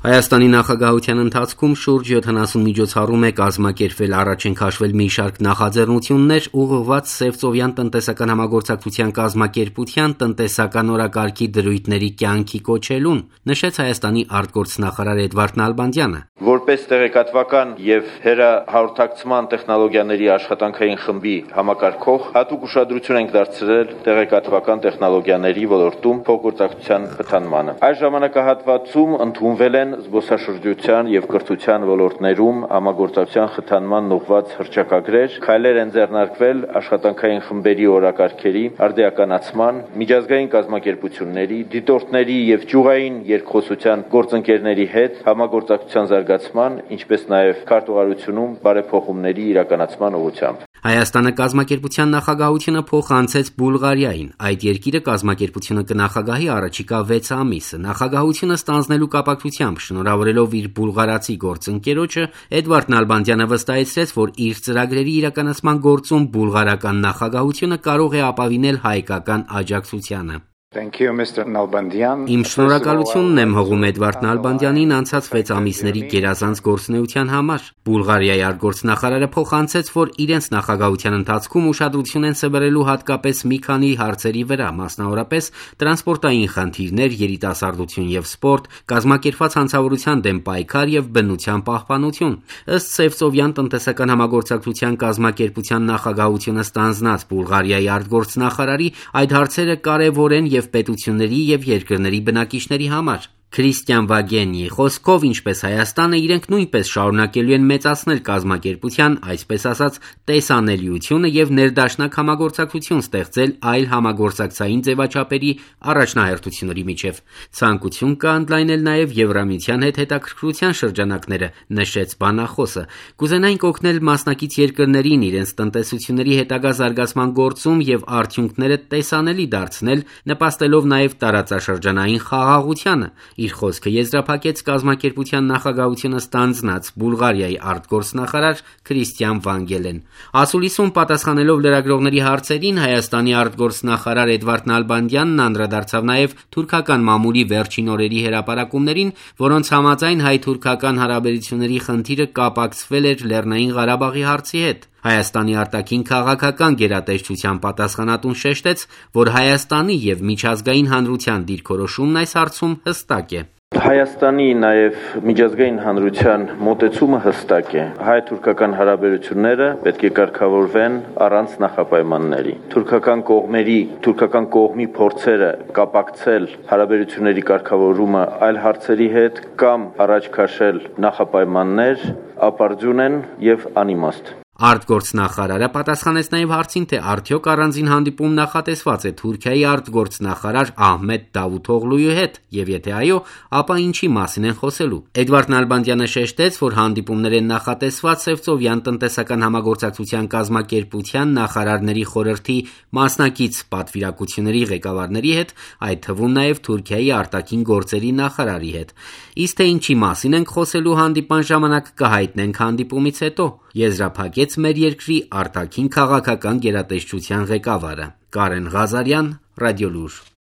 Հայաստանի նախագահության ընթացքում շուրջ 70 միջոցառում է կազմակերպվել, առաջ են քաշվել մի շարք նախաձեռնություններ ուղղված Սևծովյան տնտեսական համագործակցության կազմակերպության տնտեսական օրակարգի դրույթների կյանքի կոչելուն, նշեց Հայաստանի արտգործնախարար Էդվարդ Նալբանդյանը։ Որպես տեղեկատվական եւ հեռահաղորդակցման տեխնոլոգիաների աշխատանքային խմբի համակարգող, հատուկ ուշադրություն ենք դարձրել տեղեկատվական տեխնոլոգիաների ոլորտում փոխգործակցության խթանմանը։ Այս ժամանակահատվածում ընդունվել են զբոսաշրջության եւ կրթության ոլորտներում համագործակցության խթանման ուղղված հռչակագրեր, քայլեր են ձեռնարկվել աշխատանքային խմբերի օրակարգերի արդիականացման, միջազգային կազմակերպությունների, դիտորդների եւ ճյուղային երկխոսության գործընկերների հետ համագործակցության զարգացման, ինչպես նաեւ քարտուղարությունում բարեփոխումների իրականացման ուղղությամբ։ Հայաստանը կազմակերպության նախագահությունը փոխանցեց Բուլղարիային։ Այդ երկիրը կազմակերպությունը կնախագահի առաջիկա 6 ամիսը։ Նախագահությունը ստանձնելու կապակցությամբ շնորհավորելով իր բուլղարացի գործընկերոջը, Էդվարդ Նալբանդյանը վստահեցրեց, որ իր ծրագրերի իրականացման գործում բուլղարական նախագահությունը կարող է ապավինել հայկական աջակցությանը։ Իմ շնորհակալությունն եմ հողում Էդվարդ Նալբանդյանին անցած 6 ամիսների գերազանց գործունեության համար։ Բուլղարիայի արտգործնախարարը փոխանցեց, որ իրենց նախագահության ընթացքում ուշադրություն են սևեռելու հատկապես մի քանի հարցերի վրա, մասնավորապես տրանսպորտային խնդիրներ, երիտասարդություն եւ սպորտ, կազմակերպված հանցավորության դեմ պայքար եւ բնության պահպանություն։ Ըստ Սևծովյան տնտեսական համագործակցության կազմակերպության նախագահությունը ստանձնած Բուլղարիայի արտգործնախարարի այդ հարցերը կարևոր են եւ պետությունների եւ երկրների բնակիչների համար։ Քրիստիան Վագենիի խոսքով, ինչպես Հայաստանը, իրենք նույնպես շարունակելու են մեծացնել կազմակերպության, այսպես ասած, տեսանելիությունը եւ ներդաշնակ համագործակցություն ստեղծել այլ համագործակցային ձևաչափերի առաջնահերթությունների միջև։ Ցանկություն կա ընդլայնել նաեւ Եվրամիության հետ հետաքրքրության շրջանակները, նշեց բանախոսը։ Կուզենայինք օգնել մասնակից երկրներին իրենց տնտեսությունների հետագա զարգացման գործում եւ արդյունքները տեսանելի դարձնել, նպաստելով նաեւ տարածաշրջանային խաղաղությանը։ Իր խոսքը եզրափակեց կազմակերպության նախագահությունը ստանձնած Բուլղարիայի արտգործնախարար Քրիստիան Վանգելեն։ Ասուլիսում պատասխանելով լրագրողների հարցերին Հայաստանի արտգործնախարար Էդվարդ Նալբանդյանն անդրադարձավ նաև թուրքական մամուլի վերջին օրերի հրապարակումներին, որոնց համաձայն հայ-թուրքական հարաբերությունների խնդիրը կապակցվել էր Լեռնային Ղարաբաղի հարցի հետ։ Հայաստանի արտաքին քաղաքական գերատեսչության պատասխանատուն շեշտեց, որ Հայաստանի եւ միջազգային հանրության դիրքորոշումն այս հարցում հստակ է։ Հայաստանի նաև միջազգային հանրության մոտեցումը հստակ է։ Հայ-թուրքական հարաբերությունները պետք է կարգավորվեն առանց նախապայմանների։ Թուրքական կողմի փորձերը կապակցել հարաբերությունների կարգավորումը այլ հարցերի հետ կամ առաջ քաշել նախապայմաններ ապարդյուն են եւ անիմաստ։ Արտգործնախարարը պատասխանեց նաև հարցին, թե արդյոք առանձին հանդիպում նախատեսված է Թուրքիայի արտգործնախարար Ահմեդ Դավութօղլուի հետ, եւ եթե այո, ապա ինչի մասին են խոսելու։ Էդվարդ Նալբանդյանը շեշտեց, որ հանդիպումներ են նախատեսված Սևծովյան տնտեսական համագործակցության կազմակերպության նախարարների խորհրդի մասնակից պատվիրակությունների ղեկավարների հետ, այդ թվում նաև Թուրքիայի արտաքին գործերի նախարարի հետ։ Իսկ թե ինչի մասին ենք խոսելու հանդիպան ժամանակ կհայտնենք հանդիպումից հետո, եզրափակեց մեր երկրի արտաքին քաղաքական գերատեսչության ղեկավարը։ Կարեն Ղազարյան, Ռադիոլուր։